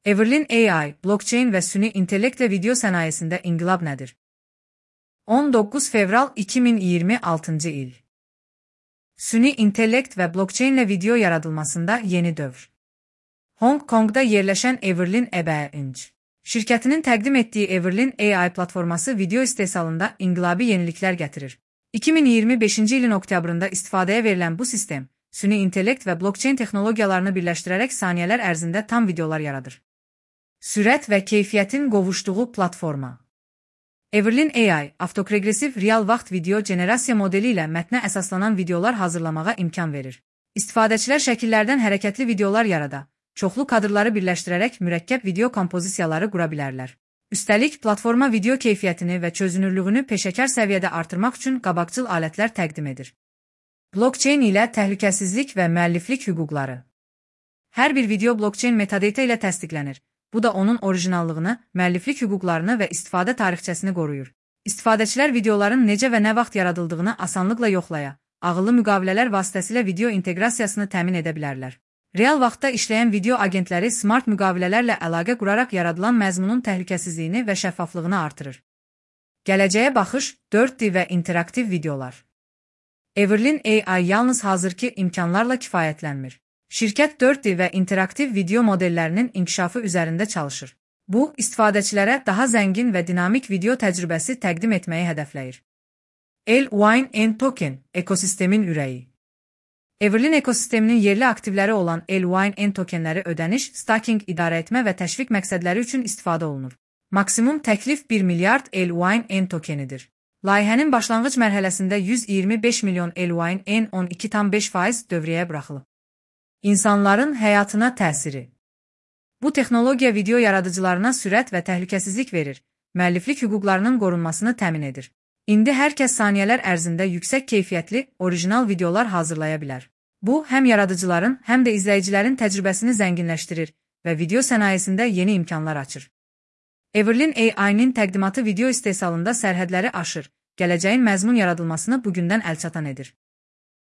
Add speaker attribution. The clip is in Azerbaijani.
Speaker 1: Everlin AI, blockchain və süni intellektlə video sənayesində inqilab nədir? 19 fevral 2026 il. Süni intellekt və blockchainlə video yaradılmasında yeni dövr. Hong Kongda yerləşən Everlin AI şirkətinin təqdim etdiyi Everlin AI platforması video istehsalında inqilabi yeniliklər gətirir. 2025-ci ilin oktyabrında istifadəyə verilən bu sistem, süni intellekt və blockchain texnologiyalarını birləşdirərək saniyələr ərzində tam videolar yaradır. Sürət və keyfiyyətin qovuşduğu platforma. Everlin AI, avtoregresiv real vaxt video generasiya modeli ilə mətnə əsaslanan videolar hazırlamağa imkan verir. İstifadəçilər şəkillərdən hərəkətli videolar yarada, çoxlu kadrları birləşdirərək mürəkkəb video kompozisiyaları qura bilərlər. Üstəlik, platforma video keyfiyyətini və çözünürlüyünü peşəkar səviyyədə artırmaq üçün qabaqcıl alətlər təqdim edir. Blockchain ilə təhlükəsizlik və müəlliflik hüquqları. Hər bir video blockchain metadata ilə təsdiqlənir. Bu da onun orijinallığını, müəlliflik hüquqlarını və istifadə tarixçəsini qoruyur. İstifadəçilər videoların necə və nə vaxt yaradıldığını asanlıqla yoxlaya, ağıllı müqavilələr vasitəsilə video inteqrasiyasını təmin edə bilərlər. Real vaxtda işləyən video agentləri smart müqavilələrlə əlaqə quraraq yaradılan məzmunun təhlükəsizliyini və şəffaflığını artırır. Gələcəyə baxış, 4D və interaktiv videolar. Everlin AI yalnız hazırki imkanlarla kifayətlənmir. Şirkət 4D və interaktiv video modellərinin inkişafı üzərində çalışır. Bu, istifadəçilərə daha zəngin və dinamik video təcrübəsi təqdim etməyi hədəfləyir. L1N token, ekosistemin ürəyi. Everlin ekosisteminin yerli aktivləri olan L1N tokenləri ödəniş, staking, idarəetmə və təşviq məqsədləri üçün istifadə olunur. Maksimum təklif 1 milyard L1N tokenidir. Layihənin başlanğıc mərhələsində 125 milyon L1N 12,5% dövriyyəyə buraxılıb. İnsanların həyatına təsiri. Bu texnologiya video yaradıcılarına sürət və təhlükəsizlik verir, müəlliflik hüquqlarının qorunmasını təmin edir. İndi hər kəs saniyələr ərzində yüksək keyfiyyətli, orijinal videolar hazırlaya bilər. Bu, həm yaradıcıların, həm də izləyicilərin təcrübəsini zənginləşdirir və video sənayesində yeni imkanlar açır. Everlin AI-nin təqdimatı video istehsalında sərhədləri aşır, gələcəyin məzmun yaradılmasını bugündən əlçatan edir.